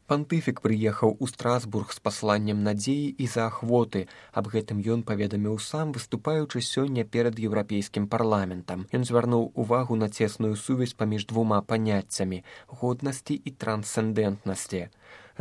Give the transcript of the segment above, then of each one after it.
Пантыфік прыехаў у Страсбург з пасланнем надзеі і заахвоты. Аб гэтым ён паведаміў сам, выступаючы сёння перад еўрапейскім парламентам. Ён звярнуў увагу на цесную сувязь паміж двума паняццямі годнасці і трансцэндэнтнасці.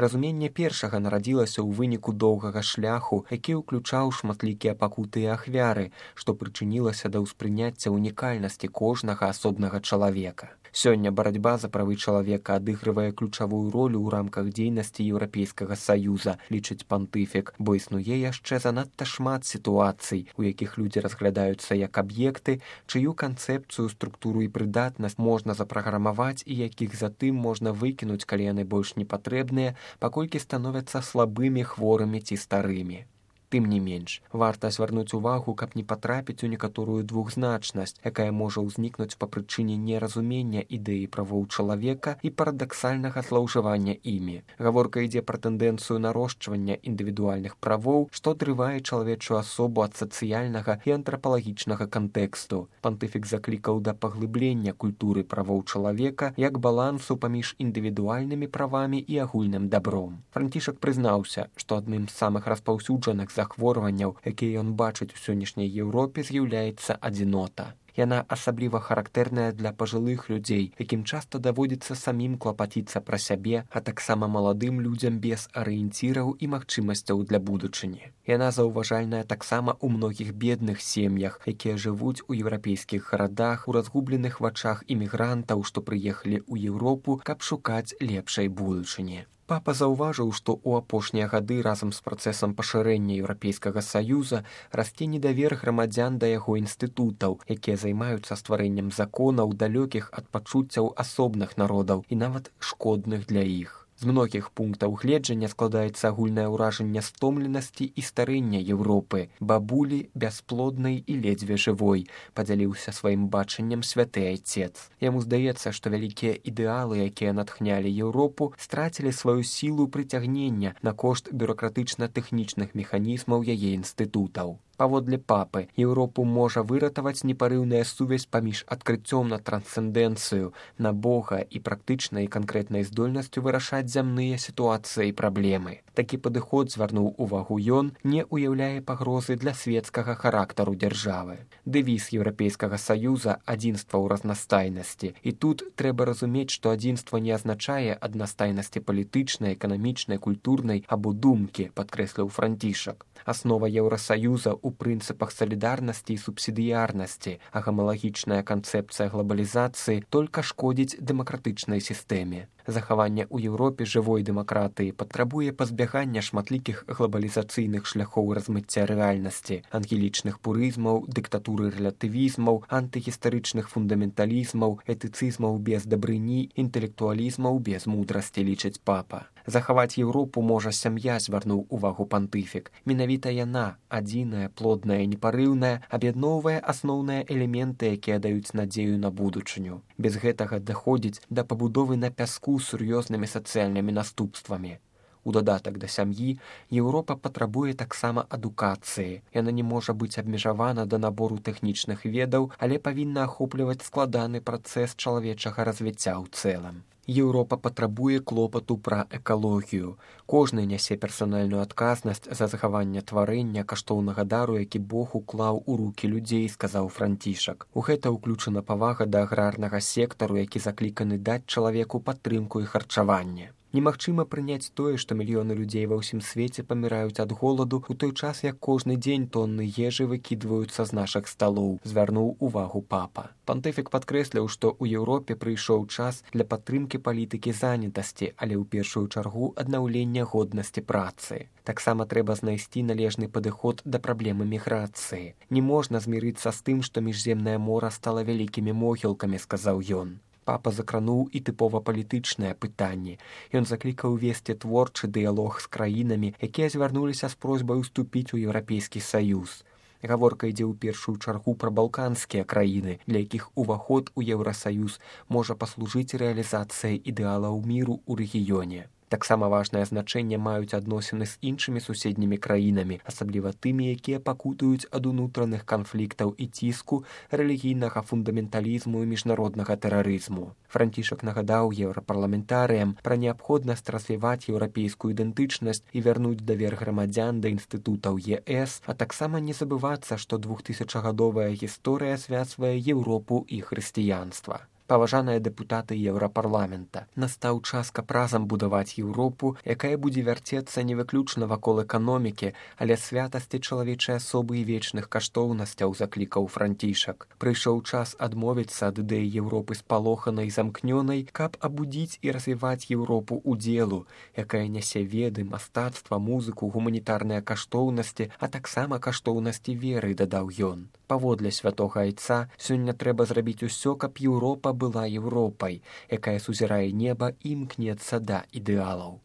Разуменне першага нарадзілася ў выніку доўгага шляху, які ўключаў шматлікія пакуты і ахвяры, што прычынілася да ўспрыняцця унікальнасці кожнага асобнага чалавека. Сёння барацьба за правы чалавека адыгрывае ключавую ролю ў рамках дзейнасці Еўрапейскага Саюза, лічыць пантыфік, бо існуе яшчэ занадта шмат сітуацый, у якіх людзі разглядаюцца як аб'екты, чыю канцэпцыю, структуру і прыдатнасць можна запраграмаваць і якіх затым можна выкінуць, калі яны больш не патрэбныя, паколькі становяцца слабымі, хворымі ці старымі. Тым не менш, варта звярнуць увагу, каб не патрапіць у некаторую двухзначнасць, якая можа ўзнікнуць па прычыне неразумення ідэі правоў чалавека і парадаксальнага злоўжывання імі. Гаворка ідзе пра тэндэнцыю нарошчвання індывідуальных правоў, што адрывае чалавечую асобу ад сацыяльнага і антрапалагічнага кантэксту. Пантыфік заклікаў да паглыблення культуры правоў чалавека як балансу паміж індывідуальнымі правамі і агульным дабром. Францішак прызнаўся, што адным з самых распаўсюджаных захворванняў, якія ён бачыць у сённяшняй Еўропе, з'яўляецца адзінота. Яна асабліва характэрная для пажылых людзей, якім часта даводзіцца самім клапаціцца пра сябе, а таксама маладым людзям без арыенціраў і магчымасцяў для будучыні. Яна заўважальная таксама ў многіх бедных сем'ях, якія жывуць у еўрапейскіх гарадах, у разгубленых вачах імігрантаў, што прыехалі ў Еўропу, каб шукаць лепшай будучыні. Папа заўважыў, што ў апошнія гады разам з працэсам пашырэння Еўрапейскага Саюза расце недавер грамадзян да яго інстытутаў, якія займаюцца стварэннем законаў, далёкіх ад пачуццяў асобных народаў і нават шкодных для іх. З многіх пунктаў гледжання складаецца агульнае ўражанне стомленасці і старэння Еўропы, бабулі бясплоднай і ледзьве жывой, падзяліўся сваім бачаннем святы айцец. Яму здаецца, што вялікія ідэалы, якія натхнялі Еўропу, страцілі сваю сілу прыцягнення на кошт бюракратычна-тэхнічных механізмаў яе інстытутаў. Паводле папы, Еўропу можа выратаваць непарыўная сувязь паміж адкрыццём на трансцэндэнцыю, на Бога і практычнай і канкрэтнай здольнасцю вырашаць зямныя сітуацыі і праблемы. Такі падыход, звярнуў увагу ён, не ўяўляе пагрозы для свецкага характару дзяржавы. Дэвіз Еўрапейскага Саюза адзінства ў разнастайнасці. І тут трэба разумець, што адзінства не азначае аднастайнасці палітычнай, эканамічнай, культурнай або думкі, падкрэсліў Францішак. Аснова Еўрасаюза ў прынцыпах салідарнасці і субсідыярнасці, а гамалагічная канцэпцыя глобалізацыі толькі шкодзіць дэмакратычнай сістэме. Захаванне ў Еўропе жывой дэмакратыі патрабуе пазбягання шматлікіх глобалізацыйных шляхоў размыцця рэальнасці, ангелічных пурызмаў, дыктатуры рэлятывізмаў, антыгістарычных фундаменталізмаў, этыцызмаў без дабрыні, інтэлектуалізмаў без мудрасці, лічыць папа. Захаваць Еўропу можа сям'я, звярнуў увагу пантыфік. Менавіта яна, адзіная, плодная і непарыўная, аб'ядноўвае асноўныя элементы, якія даюць надзею на будучыню. Без гэтага даходзіць да пабудовы на пяску з сур'ёзнымі сацыяльнымі наступствамі. У дадатак да сям'і Еўропа патрабуе таксама адукацыі. Яна не можа быць абмежавана да набору тэхнічных ведаў, але павінна ахопліваць складаны працэс чалавечага развіцця ў цэлым. Еўропа патрабуе клопату пра экалогію. Кожны нясе персанальную адказнасць за захаванне тварэння каштоўнага дару, які Бог уклаў у рукі людзей, сказаў Францішак. У гэта ўключана павага да аграрнага сектару, які закліканы даць чалавеку падтрымку і харчаванне. Немагчыма прыняць тое, што мільёны людзей ва ўсім свеце паміраюць ад голаду, у той час, як кожны дзень тонны ежы выкідваюцца з нашых сталоў, звярнуў увагу папа. Пантыфік падкрэсліў, што ў Еўропе прыйшоў час для падтрымкі палітыкі занятасці, але ў першую чаргу аднаўлення годнасці працы. Таксама трэба знайсці належны падыход да праблемы міграцыі. Не можна змірыцца з тым, што міжземнае мора стала вялікімі могілкамі, сказаў ён. Папа закрануў і тыпова палітычныя пытанні. Ён заклікаў весці творчы дыялог з краінамі, якія звярнуліся з просьбай уступіць у Еўрапейскі Саюз. Гаворка ідзе ў першую чаргу пра балканскія краіны, для якіх уваход у Еўрасаюз можа паслужыць рэалізацыяй ідэалаў міру ў рэгіёне. Таксама важнае значэнне маюць адносіны з іншымі суседнімі краінамі, асабліва тымі, якія пакутуюць ад унутраных канфліктаў і ціску, рэлігійнага фундаменталізму і міжнароднага тэрарызму. Францішак нагадаў еўрапарламентарыям пра неабходнасць развіваць еўрапейскую ідэнтычнасць і вярнуць давер грамадзян да інстытутаў ЕС, а таксама не забывацца, што 2000гадовая гісторыя звязвае Еўропу і хрысціянства. Паважаныя дэпутаты Еўрапарламента, настаў час, каб разам будаваць Еўропу, якая будзе вярцецца не выключна вакол эканомікі, але святасці чалавечай асобы і вечных каштоўнасцяў, заклікаў Францішак. Прыйшоў час адмовіцца ад ідэі Еўропы спалоханай і замкнёнай, каб абудзіць і развіваць Еўропу ўдзелу, якая нясе веды, мастацтва, музыку, гуманітарныя каштоўнасці, а таксама каштоўнасці веры, дадаў ён. Паводле святога айца, сёння трэба зрабіць усё, каб Еўропа была Еўропай, якая сузірае неба і імкнецца да ідэалаў,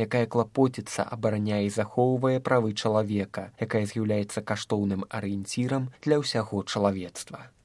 якая клапоціцца, абараняе і захоўвае правы чалавека, якая з'яўляецца каштоўным арыенцірам для ўсяго чалавецтва.